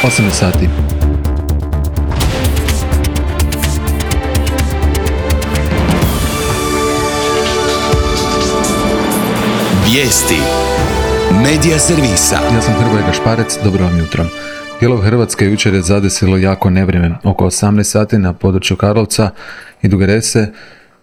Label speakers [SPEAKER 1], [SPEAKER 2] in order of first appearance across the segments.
[SPEAKER 1] 18 sati.
[SPEAKER 2] Vijesti Medija servisa.
[SPEAKER 1] Ja sam Hrvoje Gašparec, dobro vam jutro. Dijelove Hrvatske jučer je zadesilo jako nevrijeme. Oko 18 sati na području Karlovca i Duge Rese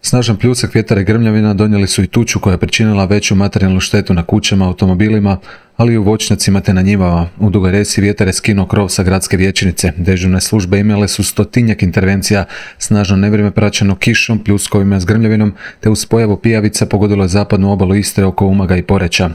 [SPEAKER 1] snažan pljusak, vjetar i grmljavina donijeli su i tuču koja je pričinila veću materijalnu štetu na kućama, automobilima, ali i u voćnjacima te na njivama. U Dugoj Resi vjetar je skinuo krov sa gradske vijećnice. Dežurne službe imale su 100-tinjak intervencija. Snažno nevrijeme praćeno kišom, pljuskovima s grmljavinom, te uz pojavu pijavica pogodilo je zapadnu obalu Istre oko Umaga i Poreča.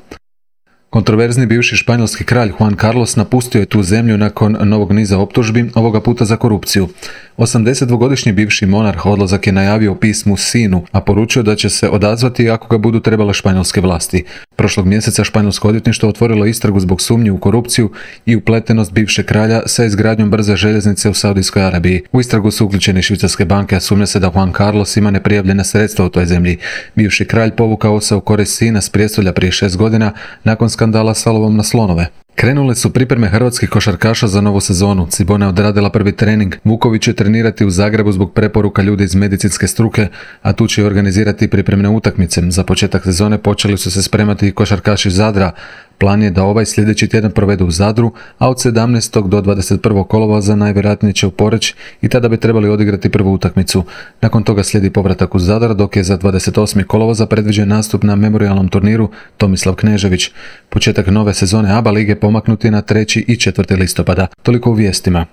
[SPEAKER 1] Kontroverzni bivši španjolski kralj Juan Carlos napustio je tu zemlju nakon novog niza optužbi, ovoga puta za korupciju. 82-godišnji bivši monarh odlazak je najavio u pismu sinu, a poručio da će se odazvati ako ga budu trebale španjolske vlasti. Prošlog mjeseca španjolsko odvjetništvo otvorilo istragu zbog sumnji u korupciju i upletenost bivšeg kralja sa izgradnjom brze željeznice u Saudijskoj Arabiji. U istragu su uključene švicarske banke, a sumnja se da Juan Carlos ima neprijavljena sredstva u toj zemlji. Bivši kralj povukao se u korist sina s prijestolja prije 6 godina nakon skandala s lovom na slonove. Krenule su pripreme hrvatskih košarkaša za novu sezonu. Cibona je odradila prvi trening. Vuković će trenirati u Zagrebu zbog preporuka ljudi iz medicinske struke, a tu će organizirati pripremne utakmice. Za početak sezone počeli su se spremati i košarkaši Zadra. Plan je da ovaj sljedeći tjedan provedu u Zadru, a od 17. do 21. kolovoza najvjerojatnije će u Poreč i tada bi trebali odigrati prvu utakmicu. Nakon toga slijedi povratak u Zadar, dok je za 28. kolovoza predviđen nastup na memorijalnom turniru Tomislav Knežević. Početak nove sezone ABA lige pomaknuti na 3. i 4. listopada. Toliko u vijestima.